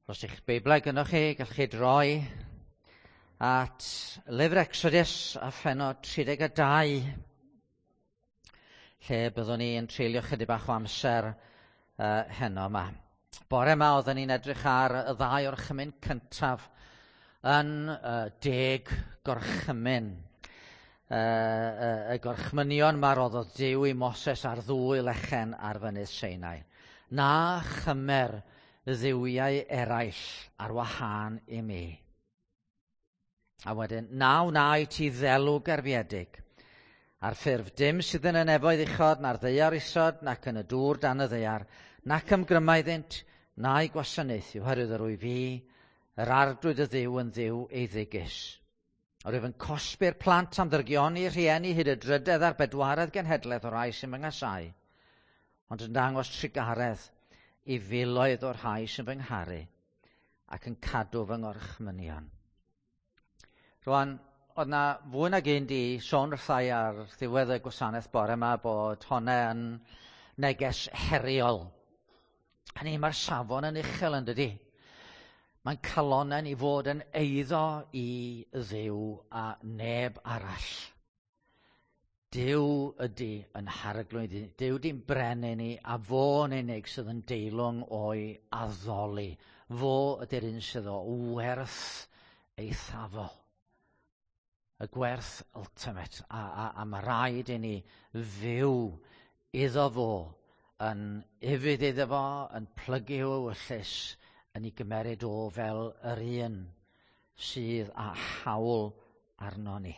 Os eich Beiblau gynnwch chi, gallwch chi droi at lyfr Exodus a phenod 32, lle byddwn ni yn treulio chydig bach o amser uh, heno yma. Bore yma oeddwn ni'n edrych ar y ddau orchymyn cyntaf yn uh, deg gorchymyn. Uh, uh, y gorchmynion ma roddodd Duw i Moses ar ddwy lechen ar fynydd Seinai. Na chymer dduwiau eraill ar wahân i mi. A wedyn, na wna i ti ddelw gerfiedig, ar ffurf dim sydd yn y nefoedd uchod, na'r ddaear isod, nac yn y dŵr dan y ddaear, nac ymgryma iddynt, na'i gwasanaethu, oherwydd yr wyf fi, yr arglwydd y Dduw yn Dduw eiddigus. Yr wyf yn cosbi'r plant am ddrygioni rhieni hyd y drydedd a'r bedwaredd genhedlaeth o'r rhai sy'n fy nghasau, ond yn dangos trugaredd i filoedd o'r rhai sy'n fy ngharu ac yn cadw fy ngorchmynion. Rwan, oedd na fwy nag un di sôn wrthai ar ddiwedd y gwasanaeth bore yma bod honna yn neges heriol. Hynny, mae'r safon yn uchel yn dydi? Mae'n calonen i fod yn eiddo i Dduw a neb arall. Duw ydy yn harglwydd, Duw di'n brenin ni a fo'n unig sydd yn deilwng o'i addoli. Fo ydy'r un sydd o werth eithafol. Y gwerth ultimate. A, a, a mae rhaid i ni fyw iddo fo, yn ufudd iddo fo, yn plygu i'w ewyllys, yn ei gymeryd o fel yr un sydd â hawl arno ni.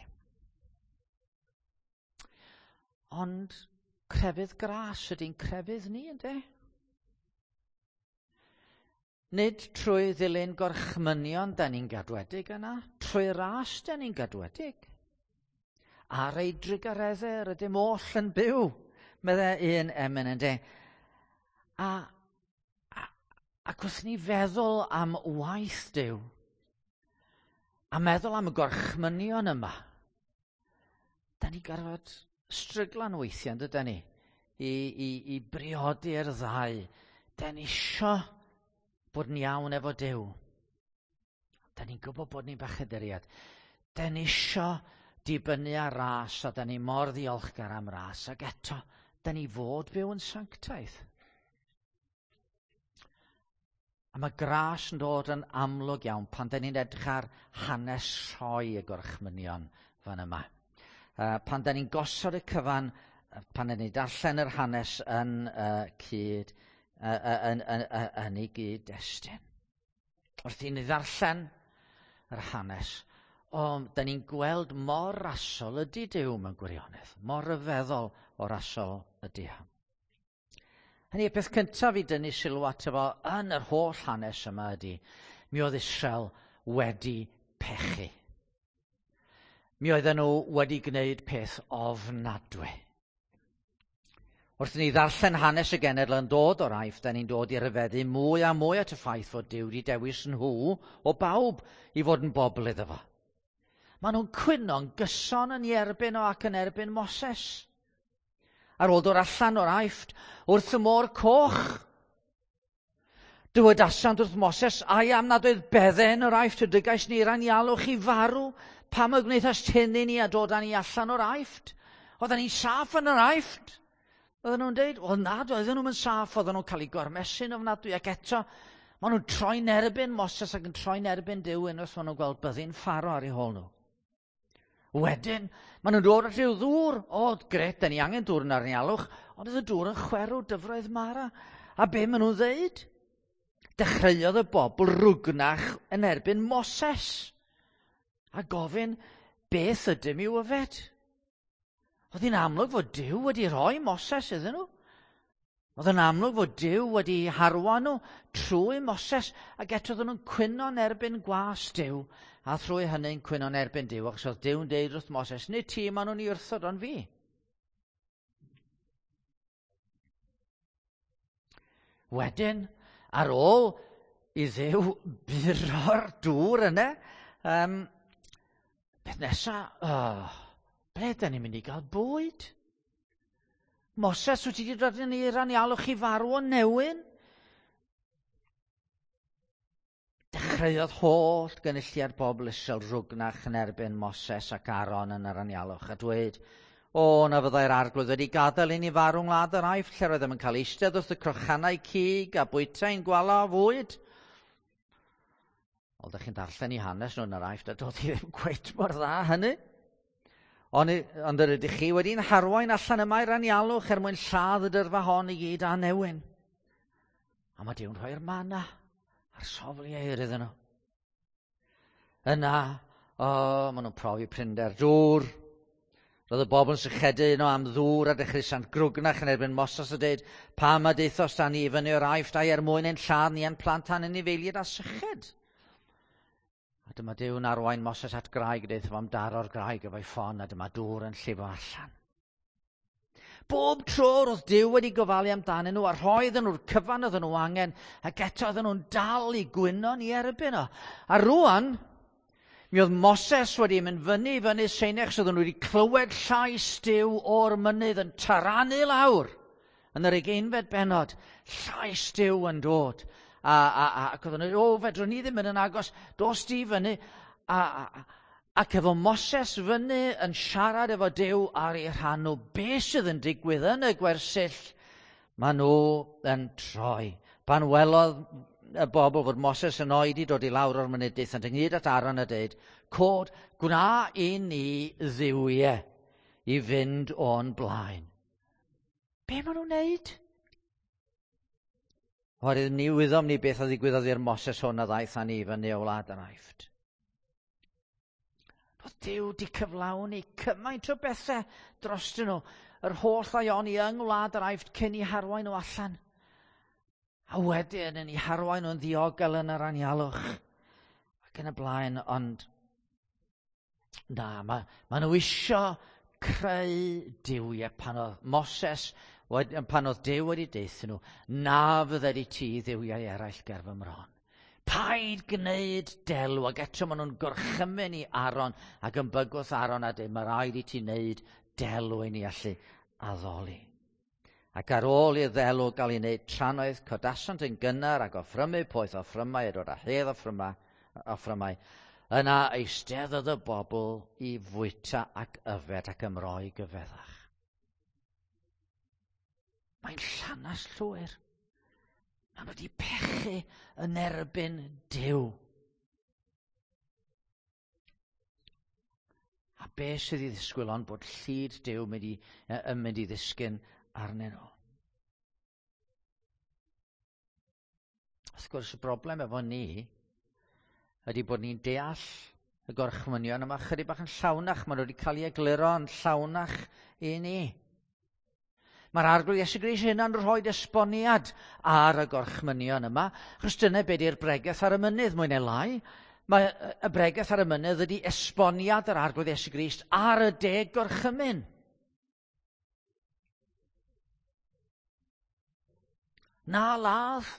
Ond crefydd gras ydy'n crefydd ni, ynddo? Nid trwy ddilyn gorchmynion da ni'n gadwedig yna, trwy ras da ni'n gadwedig. Ar ei drugareddau rydym oll yn byw, meddai un emyn ynddo. A, a, ac wrth ni feddwl am waith Duw, a meddwl am y gorchmynion yma, da ni gorfod stryglan weithiau, yn dyda ni, i, i, i briodi'r ddau. Da ni isio bod yn iawn efo Duw. Da ni'n gwybod bod ni'n bechaduriad. Da ni isio dibynnu ar ras, a da ni mor ddiolchgar am ras, ac eto, da ni fod byw yn sanctaidd. A mae gras yn dod yn amlwg iawn pan da ni'n edrych ar hanes rhoi y gorchmynion fan yma. Uh, pan da ni'n gosod y cyfan, pan da ni'n darllen yr hanes yn uh, cyd, uh, yn, yn, yn, yn ei gyd-destun. Wrth i ni ddarllen yr hanes, o, da ni'n gweld mor rasol ydy Duw mewn gwirionedd, mor ryfeddol o rasol ydy o. Hynny, y peth cyntaf i dynnu sylw ato fo yn yr holl hanes yma ydy, mi oedd Israel wedi pechu. Mi oedden nhw wedi gwneud peth ofnadwy. Wrth i ni ddarllen hanes y genedl yn dod o'r Aifft, da ni'n dod i ryfeddu mwy a mwy at y ffaith fod Duw wedi dewis nhw o bawb i fod yn bobl iddo fo. Maen nhw'n cwyno'n gyson yn ei erbyn o ac yn erbyn Moses. Ar ôl dod allan o'r Aifft wrth y môr coch, dywedasant wrth Moses, ai am nad oedd beddau yn yr Aifft y dygais ni i'r anialwch i farw? Pam y gwnaethast hyn i ni a dod â ni allan o'r Aifft? Oedden ni'n saff yn yr Aifft. Oedden nhw'n deud, wel na, doedden nhw'n saff, oedden nhw'n cael eu gormesu'n ofnadwy, ac eto, maen nhw'n troi'n erbyn Moses ac yn troi'n erbyn Duw unwaith maen nhw'n gweld byddin Pharo ar eu hôl nhw. Wedyn, maen nhw'n dod at rhyw ddŵr. O, gret, da ni angen dŵr yn arnialwch. Ond oedd y dŵr yn chwerw dyfroedd Mara. A be maen nhw'n ddeud? Dechreuodd y bobl rwgnach yn erbyn Moses. A gofyn, beth ydym i'w yfed? Oedd hi'n amlwg fod Duw wedi rhoi Moses iddyn nhw. Oedd yn amlwg fod Duw wedi harwain nhw trwy Moses, ac eto oedden nhw'n cwyno'n erbyn gwas Duw, a thrwy hynny'n cwyno'n erbyn Duw, achos oedd Duw'n deud wrth Moses, nid ti maen nhw'n ei wrthod, ond fi. Wedyn, ar ôl i Dduw buro'r dŵr yna, um, beth nesa, oh, ble da ni'n mynd i gael bwyd? Moses, wyt ti wedi dod yn i'r anialwch i farw o newyn? Dechreuodd holl gynulliad bobl Israel rwgnach yn erbyn Moses ac Aaron yn yr anialwch a dweud, o, na fyddai'r arglwydd wedi gadael i ni farw yng ngwlad yr Aifft, lle roeddem yn cael eistedd wrth y crochanau cig a bwyta ein gwala o fwyd. Wel, ydych chi'n darllen i hanes nhw yn yr Aifft, a doedd hi ddim cweit mor dda hynny. Ond, ond yr ydych chi wedi'n harwain allan yma i'r anialwch er mwyn lladd y dyrfa hon i gyd a newyn. A mae Duw'n rhoi'r mana a'r sofliau iddyn nhw. Yna, o, maen nhw'n profi prinder dŵr. Roedd y bobl yn sychedu yno am ddŵr a dechreuasant grwgnach yn erbyn Moses a dweud, pam a deithos da ni i fyny o'r Aifft ai er mwyn ein lladd ni a'n plant a'n anifeiliaid a syched? A dyma Duw'n arwain Moses at graig, a deutha fo am daro'r graig efo'i ffon, a dyma dŵr yn llifo allan. Bob tro roedd Duw wedi gofalu amdanyn nhw a rhoi iddyn nhw'r cyfan oedden nhw angen, ac eto oedden nhw'n dal i gwyno ni erbyn o. A rwan, mi oedd Moses wedi mynd fyny i fyny Sinai, achos oedden nhw wedi clywed llais Duw o'r mynydd yn taranu lawr yn yr ugeinfed bennod. Llais Duw yn dod. Ac oedden nhw, o, fedrwn ni ddim mynd yn agos, dos di fyny. Ac efo Moses fyny yn siarad efo Duw ar ei rhan nhw, be sydd yn digwydd yn y gwersyll, maen nhw yn troi. Pan welodd y bobl fod Moses yn oedi dod i lawr o'r mynydd, daethant ynghyd at Aaron a dweud, cod, gwna i ni dduwiau i fynd o'n blaen. Be maen nhw'n wneud? Oherwydd ni wyddom ni beth a ddigwyddodd i'r Moses hwn a ddaeth â ni fyny o wlad yr Aifft. Roedd Duw wedi cyflawni cymaint o bethau drostyn nhw, yr holl ddaioni yng ngwlad yr Aifft cyn i harwain nhw allan. A wedyn yn eu harwain nhw'n ddiogel yn yr anialwch ac yn y blaen, ond na, mae nhw isio creu duwiau pan oedd Moses, pan oedd Duw wedi deutha nhw, na fydded i ti dduwiau eraill ger fy mron. Paid gwneud delw, ac eto maen nhw'n gorchymyn i Aaron ac yn bygwth Aaron a dweud, mae rhaid i ti wneud delw i ni allu addoli. Ac ar ôl i'r ddelw gael ei wneud trannoeth, codasant yn gynnar ac offrymu poeth offrymau a dod â hedd offrymau. Yna eisteddodd y bobl i fwyta ac yfed ac ymroi gyfeddach. Mae'n llanas llwyr. Maen nhw wedi pechu yn erbyn Duw. A be sydd i ddisgwyl ond bod llid Duw yn mynd i ddisgyn arnyn nhw. Wrth gwrs, y broblem efo ni ydy bod ni'n deall y gorchmynion yma chydig bach yn llawnach. Maen nhw wedi cael ei egluro yn llawnach i ni. Mae'r Arglwydd Iesu Grist hynna'n rhoi esboniad ar y gorchmynion yma, achos dyna be di'r bregeth ar y mynydd, mwy neu lai. Mae y bregeth ar y mynydd ydy esboniad yr Arglwydd Iesu Grist ar y 10 gorchymyn. Na ladd.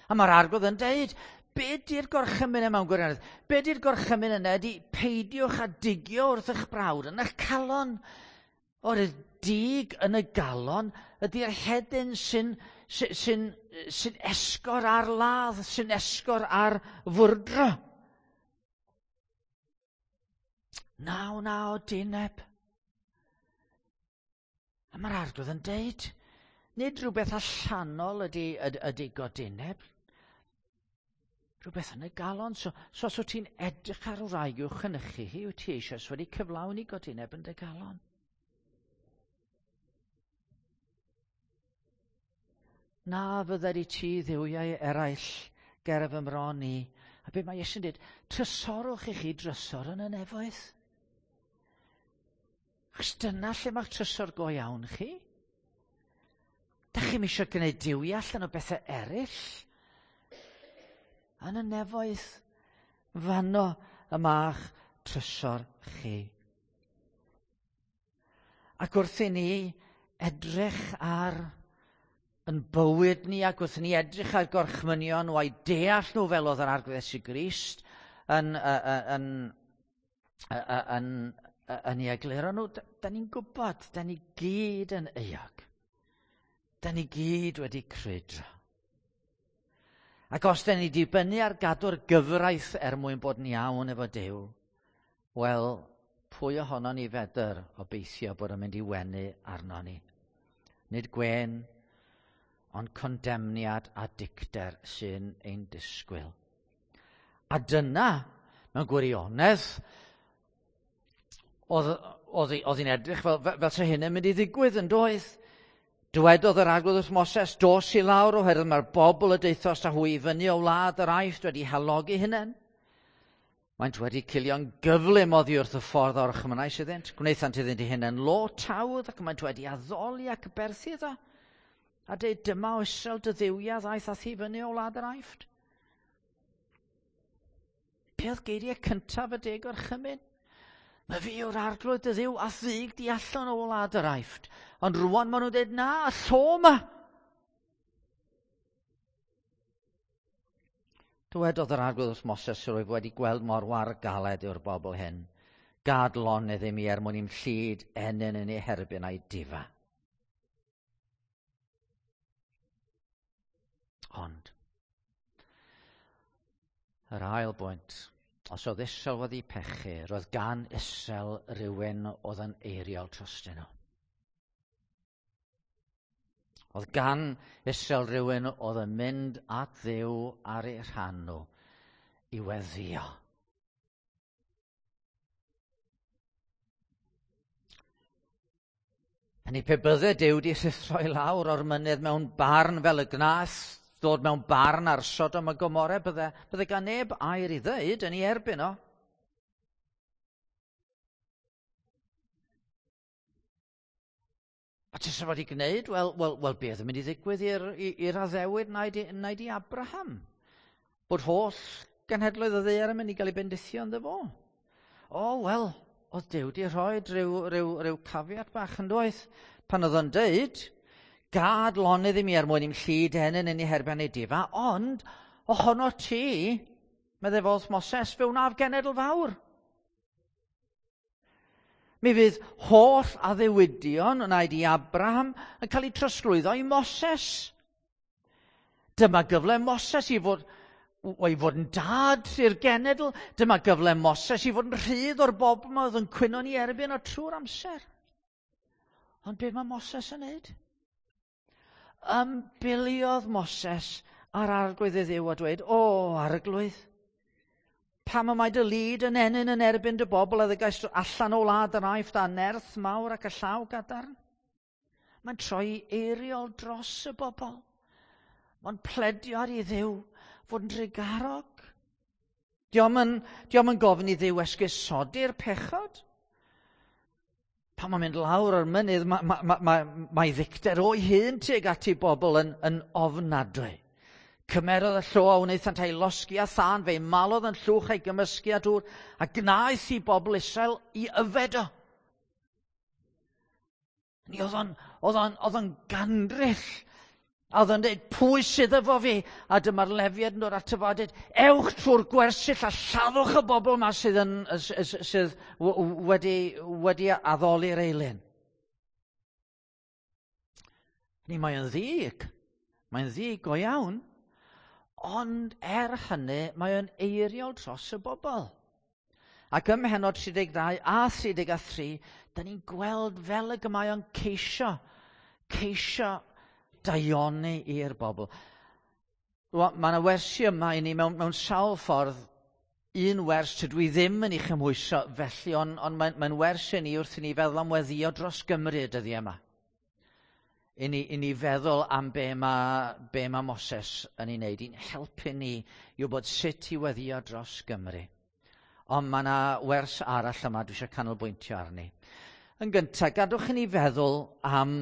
A mae'r Arglwydd yn deud, be di'r gorchymyn yma mewn gwirionedd? Be di'r gorchymyn yna ydy peidiwch a digio wrth eich brawd yn eich calon. O'r dig yn y galon ydy'r hedyn sy'n esgor ar ladd, sy'n esgor ar fwrdro. 99 dineb. A mae'r Arglwydd yn deud, nid rhywbeth allanol ydy godineb, rhywbeth yn y galon. So os wyt ti'n edrych ar wraig i'w chynnychu hi, wyt ti eisoes wedi cyflawni godineb yn dy galon. Na fydded i ti dduwiau eraill ger fy mron i. A be mae Iesu'n dweud, trysorwch i chi drysor yn y nefoedd. Achos dyna lle mae'ch trysor go iawn chi. Da chi'm eisiau gwneud duwiau allan o bethau eraill. Yn y nefoedd, fanno y ma'ch trysor chi. Ac wrth i ni edrych ar yn bywyd ni ac wrth i ni edrych ar gorchmynion nhw a'i deall nhw fel oedd yr Arglwydd Iesu Grist yn ei egluro nhw, da ni'n gwybod, da ni gyd yn euog. Da ni gyd wedi crwydro. Ac os da ni dibynnu ar gadw'r gyfraith er mwyn bod yn iawn efo Duw, wel, pwy ohono ni fedr obeithio bod yn mynd i wenu arno ni? Nid gwên, ond condemniad a dicter sy'n ein disgwyl. A dyna, mewn gwirionedd, oedd hi'n edrych fel se hyn yn mynd i ddigwydd yn doedd. Dywedodd yr Arglwydd wrth Moses, dos i lawr oherwydd mae'r bobl y deuthost â hwy i fyny o wlad yr Aifft wedi halogi hunain. Maent wedi cilio'n gyflym oddi wrth y ffordd a orchmynnais iddynt. Gwnaethant iddynt eu hunain lo tawdd ac maent wedi addoli ac aberthu iddo. A dweud, dyma o Israel dy dduwiau ddaeth â thi fyny o wlad yr Aifft. Be oedd geiriau cyntaf y deg orchymyn? Mae fi yw'r arglwydd dy ddiw a ddyg di allan o wlad yr Aifft. Ond rwan maen nhw'n dweud, na, y llo yma. Dywedodd yr arglwydd wrth Moses, rwyf wedi gweld mor war galed yw'r bobl hyn. Gad lonydd i mi er mwyn i'm llid ennyn yn ei herbyn a'i difa. Ond, yr ail bwynt, os oedd Israel wedi pechu, roedd gan Israel rhywun oedd yn eiriol trostyn nhw. Oedd gan Israel rhywun oedd yn mynd at Dduw ar eu rhan nhw i weddio. Hynny pe bydde Duw wedi rhuthro i lawr o'r mynydd mewn barn fel y gnaeth ddod mewn barn ar Sodom a Gomorrah, bydde, bydde gan neb air i ddeud yn ei erbyn o. A ti fod i gwneud? Wel, wel, wel beth yn mynd i ddigwydd i'r addewid wnaed i Abraham? Bod holl genhedloedd y ddaear yn mynd i gael ei bendithio ynddo fo. O, wel, oedd Duw wedi rhoi rhyw caveat bach yn doedd. Pan oedd o'n deud, gad lonydd i mi er mwyn i'm llid ennyn yn ei herbyn ei difa, ond ohono ti, meddai fo wrth Moses, fe wnaf genedl fawr. Mi fydd holl addewidion wnaed i Abraham yn cael eu trosglwyddo i Moses. Dyma gyfle Moses i fod yn dad i'r genedl. Dyma gyfle Moses i fod yn rhydd o'r bobl yma oedd yn cwyno ni erbyn o trwy'r amser. Ond be mae Moses yn neud? Ymbiliodd Moses ar arglwydd ei Dduw a dweud, o, arglwydd, pam y mae dy lid yn ennyn yn erbyn dy bobl a ddygaist allan o wlad yr Aifft a nerth mawr ac y llaw gadarn? Mae'n troi eiriol dros y bobl. Mae'n pledio ar ei Dduw fod yn drugarog. Dio'm yn gofyn i Dduw esgusodi'r pechod. Pan mae'n mynd lawr o'r mynydd, mae ddicter o'i hun tuag at ei bobl yn ofnadwy. Cymerodd y llo a wnaethant ei losgi a thân, fe'i malodd yn llwch a'i gymysgu â dŵr, a gnaeth i bobl Israel i yfed o. Ni oedd o'n gandryll. A oedd o'n dweud, pwy sydd efo fi? A dyma'r Lefiad yn dod ato fo a dweud, ewch trwy'r gwersyll a lladdwch y bobl yma sydd wedi addoli'r eilun. Ni mae o'n ddig. Mae'n ddig go iawn. Ond er hynny, mae o'n eiriol dros y bobl. Ac ym mhennod 32 a 33, da ni'n gweld fel y mae o'n ceisio daioni i'r bobl. Mae yna wersi yma i ni mewn sawl ffordd. Un wers tydw i ddim yn ei chymhwyso felly, ond mae'n wers i ni wrth i ni feddwl am weddio dros Gymru y dyddiau yma. I ni feddwl am be mae Moses yn ei wneud, i'n helpu ni i wybod sut i weddio dros Gymru. Ond mae yna wers arall yma dwi eisiau canolbwyntio arni. Yn gyntaf, gadwch i ni feddwl am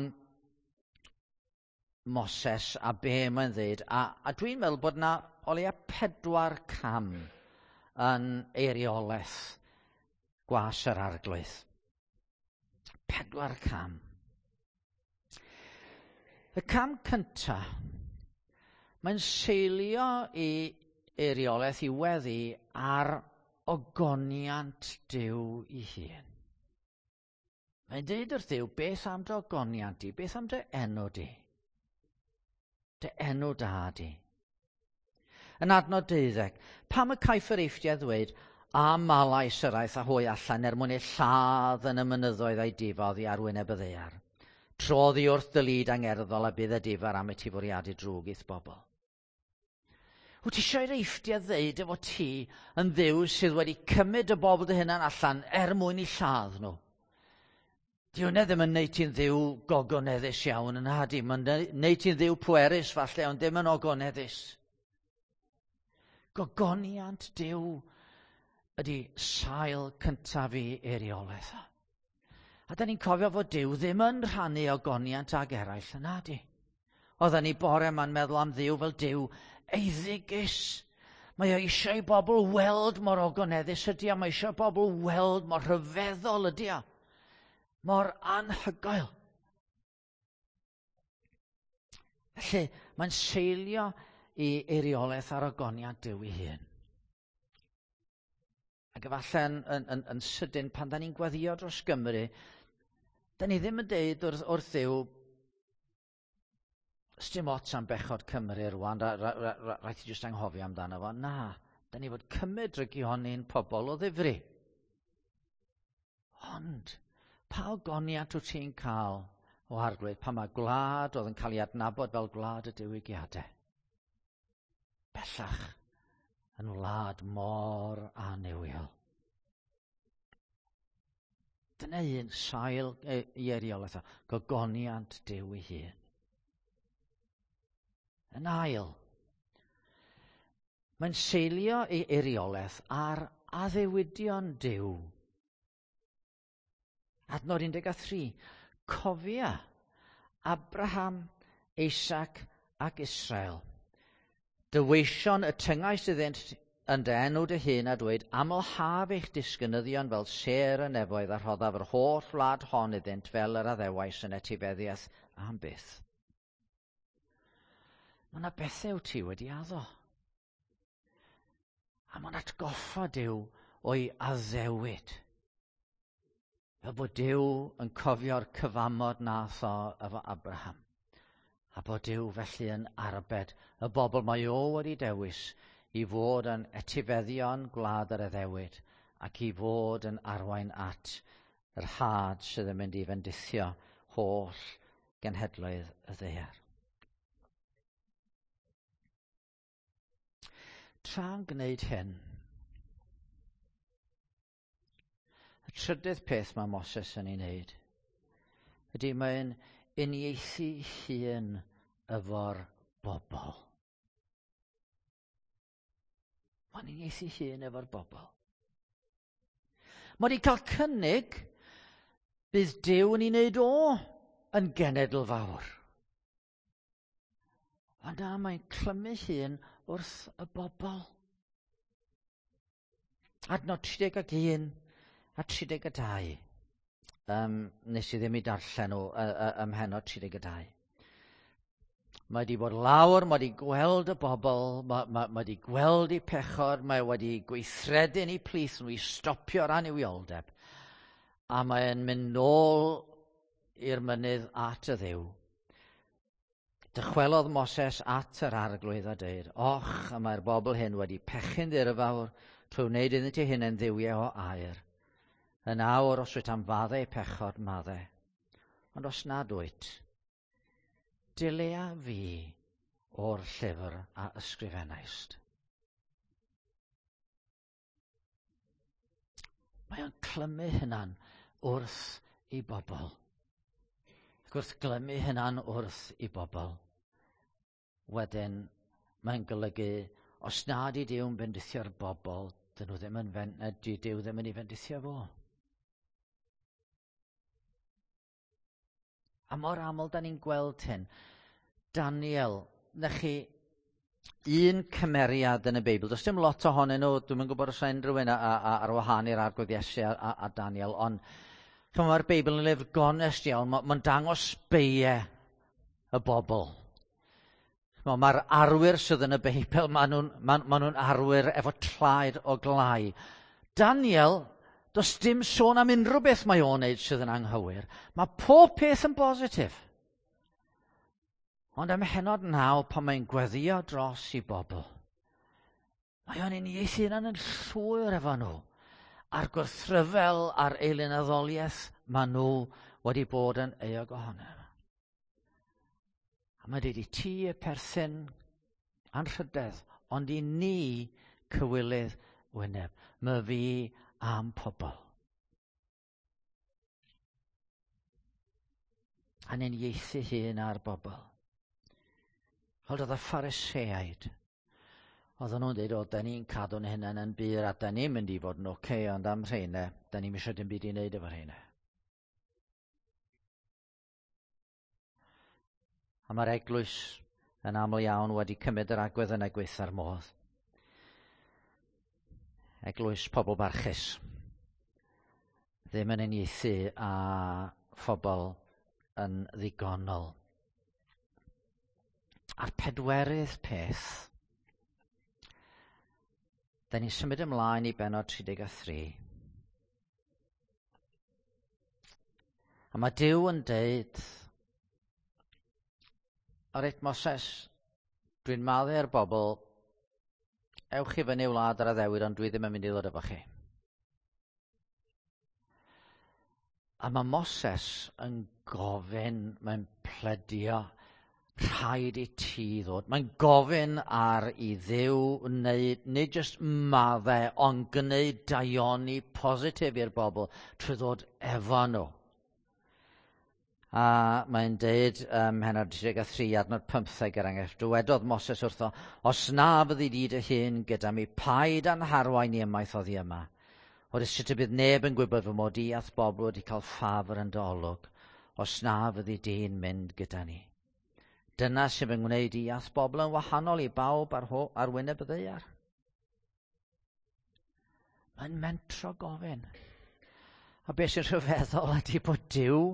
Moses a be mae'n dweud. A dwi'n meddwl bod yna o leia 4 cam yn eiriolaeth gwas yr arglwydd. 4 cam. Y cam cyntaf, mae'n seilio i eiriolaeth i weddi ar ogoniant Duw ei hun. Mae'n dweud wrth Dduw, beth am dy ogoniant di? Beth am dy enw di? Dy enw da di. Yn adnod 12, pam y caiff yr Eifftiaid ddweud, a malais yr aeth a hwy allan er mwyn eu lladd yn y mynyddoedd a'i difa oddi ar wyneb y ddaear. Trodd i wrth dy lid angerddol a bydd y difar am i ti fwriadu drwg i'th bobl. Wyt ti eisiau i'r Eifftiaid ddeud efo ti yn Dduw sydd wedi cymryd y bobl dy hunan allan er mwyn i lladd nhw? Di hwnna ddim yn neud ti'n Dduw gogoneddus iawn yn nadi. Mae'n neud ti'n Dduw pwerus falle, ond ddim yn ogoneddus. Gogoniant Duw ydy sail cyntaf i eiriolaeth. A da ni'n cofio fod Duw ddim yn rhannu ogoniant ag eraill, yn nadi. Oedden ni bore yma'n meddwl am Dduw fel Duw eiddigus. Mae o eisiau i bobl weld mor ogoneddus ydy o. Mae eisiau bobl weld mor rhyfeddol ydy o. Mor anhygoel. Felly, mae'n seilio i eiriolaeth ar ogoniant Duw ei hun. Ac efallai yn, yn, yn, yn sydyn, pan da ni'n gweddio dros Gymru, da ni ddim yn deud wrth, wrth Dduw, sdim ots am bechod Cymru rwan, rhaid ti jyst anghofio amdano fo. Na, da ni fod cymryd drygioni'n pobl o ddifri. Ond, pa ogoniant wyt ti'n cael o Arglwydd pan mae gwlad oedd yn cael ei adnabod fel gwlad y diwygiadau? Bellach yn wlad mor annuwiol. Dyna un sail i eiriolaeth o, gogoniant Duw ei hun. Yn ail, mae'n seilio ei eiriolaeth ar addewidion Duw. Adnod 13, cofia Abraham, Isaac ac Israel. Dy weision y tyngais iddynt yn dy enw dy hun a dweud, amlhaf eich disgynyddion fel sêr y nefoedd a rhoddaf yr holl wlad hon iddynt fel yr addewais yn etifeddiaeth am byth. Mae yna bethau wyt ti wedi addo. A mae'n atgoffa Duw o'i addewid. Fel bod Duw yn cofio'r cyfamod nath o efo Abraham. A bod Duw felly yn arbed y bobl mae o wedi dewis i fod yn etifeddion gwlad yr addewid ac i fod yn arwain at yr had sydd yn mynd i fendithio holl genhedloedd y ddaear. Tra'n gwneud hyn, y trydydd peth mae Moses yn ei wneud ydy mae'n uniaethu hun efo'r bobl. Mae'n uniaethu hun efo'r bobl. Mae wedi cael cynnig bydd Duw yn ei wneud o yn genedl fawr. Ond na, mae'n clymu hun wrth y bobl. Adnod 31 a 32. Nes i ddim i darllen nhw ym mhennod 32. Mae wedi bod lawr, mae wedi gweld y bobl, mae wedi gweld eu pechod, mae wedi gweithredu yn eu plith nhw i stopio'r annuwioldeb. A mae'n mynd nôl i'r mynydd at y Dduw. Dychwelodd Moses at yr Arglwydd a dweud, och, y mae'r bobl hyn wedi pechu'n ddirfawr trwy wneud iddynt eu hunain dduwiau o aur. Yn awr, os wyt am faddau pechod, maddau. Ond os nad wyt, dilea fi o'r llyfr a ysgrifennaist. Mae o'n clymu hynna'n wrth i bobl. Ac wrth glymu hynna'n wrth i bobl, wedyn mae'n golygu os nad i Duw'n bendithio'r bobl, dyn nhw ddim yn di Duw ddim yn ei fendithio fo. A mor aml da ni'n gweld hyn. Daniel, na chi un cymeriad yn y Beibl. Does dim lot ohonyn nhw, dwi'm yn gwybod os unrhyw un ar wahân i'r Arglwydd Iesu a Daniel, ond mae'r Beibl yn lyfr gonest iawn, mae'n dangos beiau y bobl. Mae'r arwyr sydd yn y Beibl, maen nhw'n arwyr efo traed o glai. Daniel, does dim sôn am unrhyw beth mae o'n wneud sydd yn anghywir. Mae pob peth yn bositif. Ond ym mhennod 9, pan mae'n gweddio dros i bobl, Mae o'n uniaethu hunan yn llwyr efo nhw. A'r gwrthryfel a'r eilunaddoliaeth maen nhw wedi bod yn euog ohono. A mae'n dweud i ti y perthyn anrhydedd, ond i ni cywilydd wyneb. My fi am pobl. A'n uniaethu hun ar bobl. Wel, oedd y Phariseaid Oedden nhw'n dweud, o, da ni'n cadw'n hunain yn bur a da ni'n mynd i fod yn oce, okay, ond am rheina, da ni'n eisiau dim byd i wneud efo rheina. A mae'r eglwys yn aml iawn wedi cymryd yr agwedd yna gweitha'r modd. Eglwys pobl barchus. Ddim yn uniaethu â phobl yn ddigonol. A'r pedwerydd peth, da ni'n symud ymlaen i bennod 33. A mae Duw yn deud, Reit, Moses, dwi'n maddau'r bobl, ewch i fyny wlad ar addewid, ond dwi ddim yn mynd i ddod efo chi. A mae Moses yn gofyn, mae'n pledio, rhaid i ti ddod. Mae'n gofyn ar i Dduw wneud, nid jyst maddau, ond gwneud daioni positif i'r bobl trwy ddod efo nhw. A mae'n deud ym mhennod 33 adnod 15 er enghraifft, dywedodd Moses wrtho, os na fyddi di dy hun gyda mi, paid a'n harwain i ymaith oddi yma. Oherwydd sut y bydd neb yn gwybod fy mod i a'th bobl wedi cael ffafr yn dy olwg, os na fyddi di'n mynd gyda ni. Dyna sy'n fy ngwneud i a'th bobl yn wahanol i bawb ar, ho, ar wyneb y ddaear. Mae'n mentro gofyn. A beth sy'n rhyfeddol ydy bod Duw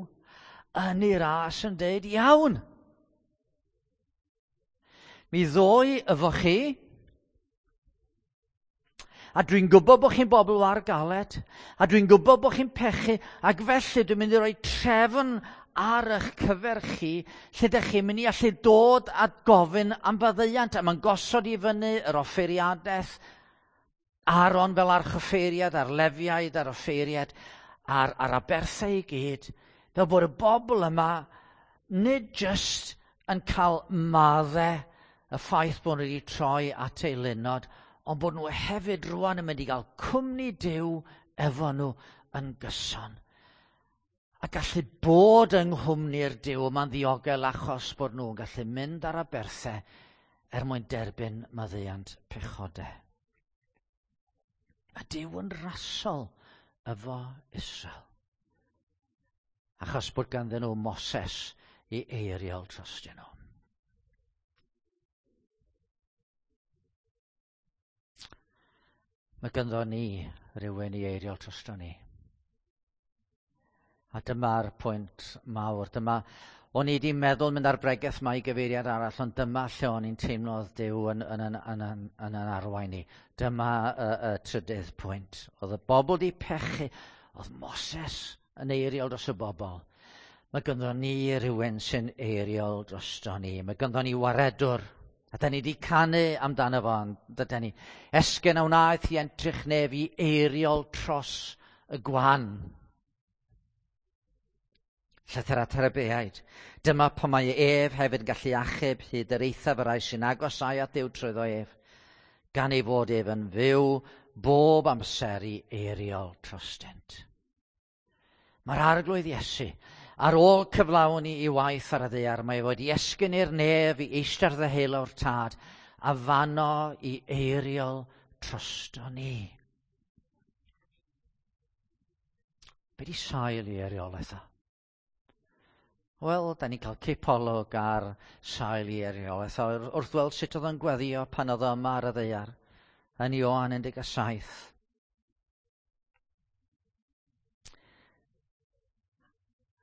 yn ei ras yn deud, iawn, mi ddoi efo chi, a dwi'n gwybod bod chi'n bobl war galed, a dwi'n gwybod bod chi'n pechu, ac felly dwi'n mynd i roi trefn ar eich cyfer chi, lle ydych chi'n mynd i allu dod a gofyn am faddeuant, a mae'n gosod i fyny yr offeiriadaeth, Aaron fel archoffeiriad, a'r Lefiaid a'r offeiriad, a'r, a'r aberthau i gyd, fel bod y bobl yma nid jyst yn cael maddau y ffaith bod nhw wedi troi at ei lunod, ond bod nhw hefyd rwan yn mynd i gael cwmni Duw efo nhw yn gyson. A gallu bod yng nghwmni'r Duw yma'n ddiogel achos bod nhw'n gallu mynd ar aberthau er mwyn derbyn maddeuant pechodau. Mae Duw yn rasol efo Israel. Achos bod ganddyn nhw Moses i eiriol trostyn nhw. Mae ganddo ni rhywun i eiriol drosto ni. A dyma'r pwynt mawr. Dyma, o'n i wedi meddwl mynd ar bregeth mae i gyfeiriad arall, ond dyma lle o'n i'n teimlo oedd Duw yn, yn, yn, yn, yn, yn, yn arwain ni. Dyma y, y trydydd pwynt. Oedd y bobl di pechu, oedd Moses yn eiriol dros y bobl. Mae ganddo ni rhywun sy'n eiriol drosto ni. Mae ganddo ni waredwr. A da ni wedi canu amdano fo, dyda ni. Esgyn a wnaeth i entrych nef i eiriol tros y gwan. Llythyr at yr Hebreaid. Dyma pan mae ef hefyd yn gallu achub hyd yr eithaf y rhai sy'n agosau at Dduw trwyddo ef, gan ei fod ef yn fyw bob amser i eiriol trostynt. Mae'r Arglwydd Iesu, ar ôl cyflawni i waith ar y ddaear, mae wedi esgyn i'r nef i eistedd ddeheulaw'r Tad, a fano i eiriol trosto ni. Be di sail i eiriolaeth o? Wel, da ni'n cael cipolwg ar sail i eiriolaeth o wrth weld sut oedd o'n gweddio pan oedd o yma ar y ddaear yn Ioan 17.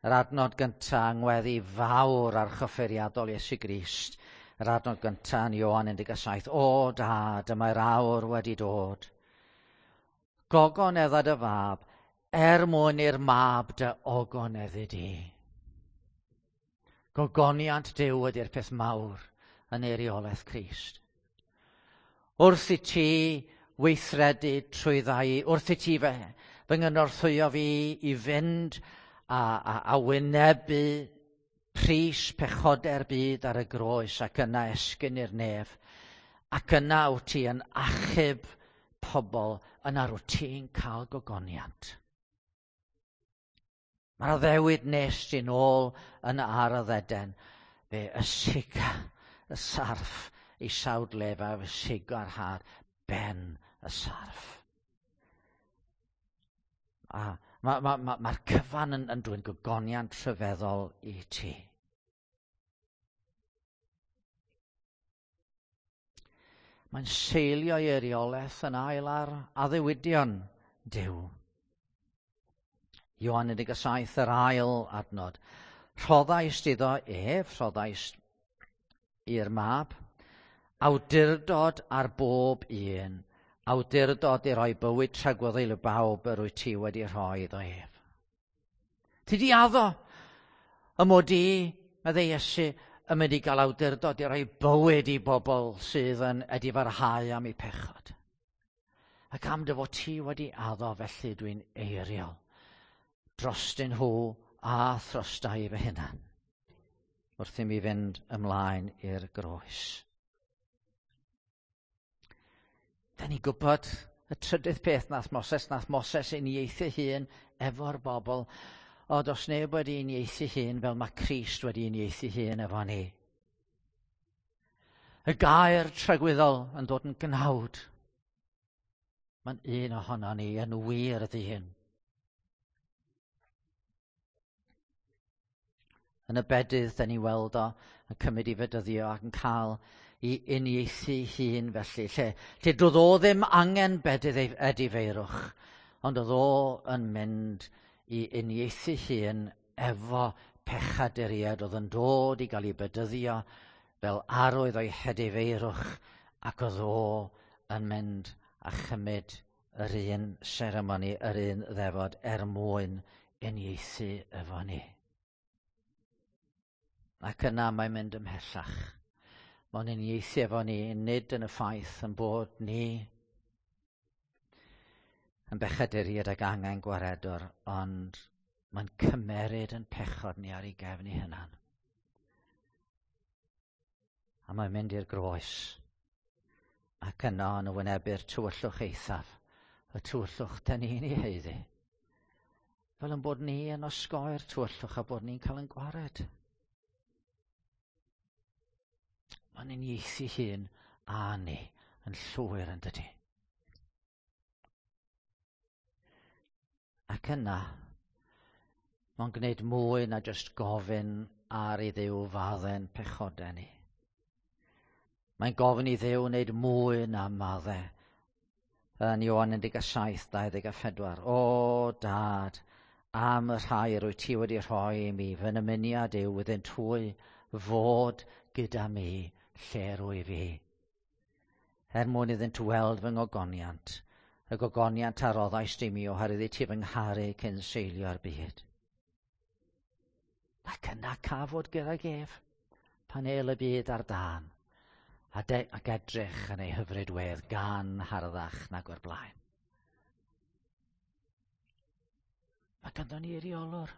Yr adnod gyntaf yng ngweddi fawr archoffeiriadol Iesu Grist. Yr adnod gyntaf yn Ioan 17. O dad, dyma'r awr wedi dod. Gogonedda dy fab, er mwyn i'r mab dy ogoneddu di. Gogoniant Duw ydy'r peth mawr yn eiriolaeth Crist. Wrth i ti weithredu trwy ddau, wrth i ti fy nghynorthwyo fi i fynd a wynebu pris pechodau'r byd ar y groes ac yna esgyn i'r nef, ac yna wyt ti yn achub pobl, yna rwyt ti'n cael gogoniant. Mae'r addewid nes ti'n ôl yn Ardd Eden, fe ysiga y sarff i sawdlef a fe siga'r had ben y sarff. A mae'r cyfan yn dwyn gogoniant rhyfeddol i ti. Mae'n seilio ei eiriolaeth yn ail ar addewidion Duw. Ioan 17, yr ail adnod. Rhoddaist iddo ef, rhoddaist i'r mab, awdurdod ar bob un, awdurdod i roi bywyd tragwyddol i bawb yr wyt ti wedi rhoi iddo ef. Ti di addo y mod i, meddai Iesu, yn mynd i gael awdurdod i roi bywyd i bobl sydd yn edifarhau am eu pechod. Ac am dy fod ti wedi addo, felly dwi'n eiriol drostyn nhw a throsta i fy hunan, wrth i mi fynd ymlaen i'r groes. Da ni'n gwybod y trydydd peth nath Moses uniaethu hun efo'r bobl, o does neb wedi uniaethu hun fel mae Crist wedi uniaethu hun efo ni. Y gair tragwyddol yn dod yn gnawd. Mae'n un ohono ni yn wir ydy hyn. Yn y bedydd, da ni weld o yn cymryd i fedyddio ac yn cael i uniaethu hun felly. Lle doedd o ddim angen bedydd edifeirwch, ond oedd o yn mynd i uniaethu hun efo pechaduriaid oedd yn dod i gael ei bedyddio fel arwydd o'i hedifeirwch, ac oedd o yn mynd a chymryd yr un seremoni, yr un ddefod er mwyn uniaethu efo ni. Ac yna mae'n mynd ymhellach. Mae'n uniaethu efo ni, nid yn y ffaith yn bod ni yn bechaduriaid ag angen gwaredwr, ond mae'n cymeryd yn pechod ni ar ei gefn ei hunan. A mae'n mynd i'r groes. Ac yno yn wynebu'r tywyllwch eithaf, y tywyllwch da ni'n ei haeddu. Fel yn bod ni yn osgoi'r tywyllwch a bod ni'n cael yn gwared. Mae'n uniaethu hun a ni yn llwyr yn dydy. Ac yna, mae'n gwneud mwy na jyst gofyn ar i Dduw fadde'n pechodau ni. Mae'n gofyn i Dduw wneud mwy na madde. Yn Ioan 17, 24. O, Dad, am y rhai rwyt ti wedi rhoi i mi, fy nymuniad yw iddynt hwy fod gyda mi lle rwyf fi. Er mwyn iddynt weld fy ngogoniant, y gogoniant a roddaist i mi oherwydd i ti fy ngharu cyn seilio'r byd. Ac yna cafod gydag ef, pan el y byd ar dân, ac edrych yn ei hyfryd wedd gan harddach nag o'r blaen. Mae ganddo ni eiriolwr.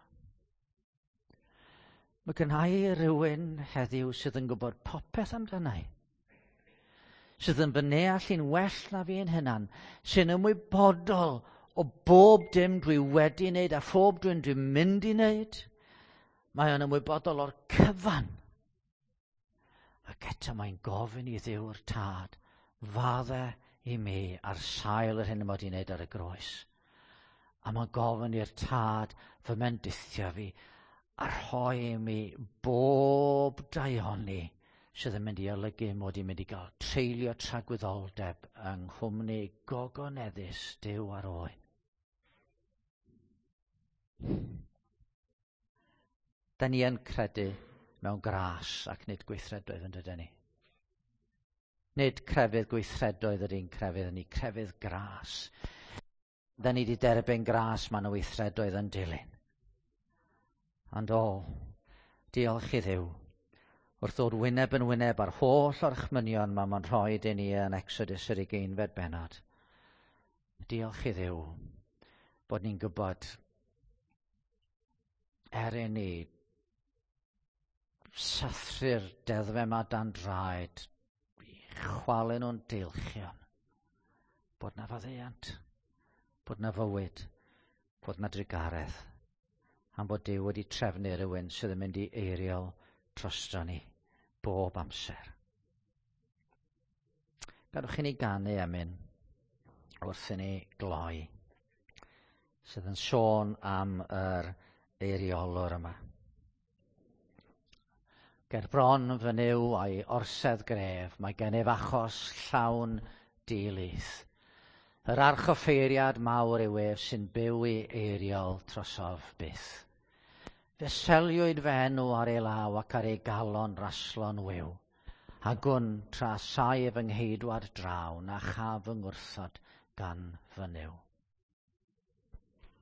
Mae gynna i rywun heddiw sydd yn gwybod popeth amdana i, sydd yn fy neall i'n well na fi'n hunan, sy'n ymwybodol o bob dim dwi wedi wneud a phob dwi'n mynd i wneud. Mae o'n ymwybodol o'r cyfan. Ac eto mae'n gofyn i Dduw'r Tad, fadde i mi ar sail yr hyn y mod i'n wneud ar y groes. A mae'n gofyn i'r Tad fy mendithio fi a rhoi i mi bob daioni sydd yn mynd i olygu mod i'n mynd i gael treulio tragwyddoldeb yng nghwmni gogoneddus Duw ar oen. Da ni yn credu mewn gras ac nid gweithredoedd yn dydyn ni. Nid crefydd gweithredoedd yr un crefydd, ni crefydd gras. Da ni wedi derbyn gras, mae yna weithredoedd yn dilyn. Ond o, diolch i Dduw. Wrth ddod wyneb yn wyneb ar holl orchmynion mae mae'n rhoi i ni yn Exodus yr 20fed bennod. Diolch i Dduw bod ni'n gwybod er i ni sathru'r deddfau yma dan draed, chwalu nhw'n deilchion, bod na faddeuant, bod na fywyd, bod na drugaredd, am bod Duw wedi trefnu rhywun sydd yn mynd i eiriol drosto ni bob amser. Gadwch i ni ganu emyn wrth i ni gloi, sydd yn sôn am yr eiriolwr yma. Ger bron fy Nuw a'i orsedd gref, mae gennyf achos llawn dilith. Yr archoffeiriad mawr yw ef sy'n byw i eiriol trosof byth. Fe seliwyd fy enw ar ei law ac ar ei galon raslon wiw. A gwn tra saif fy ngheidwad draw na chaf fy ngwrthod gan fy Nuw.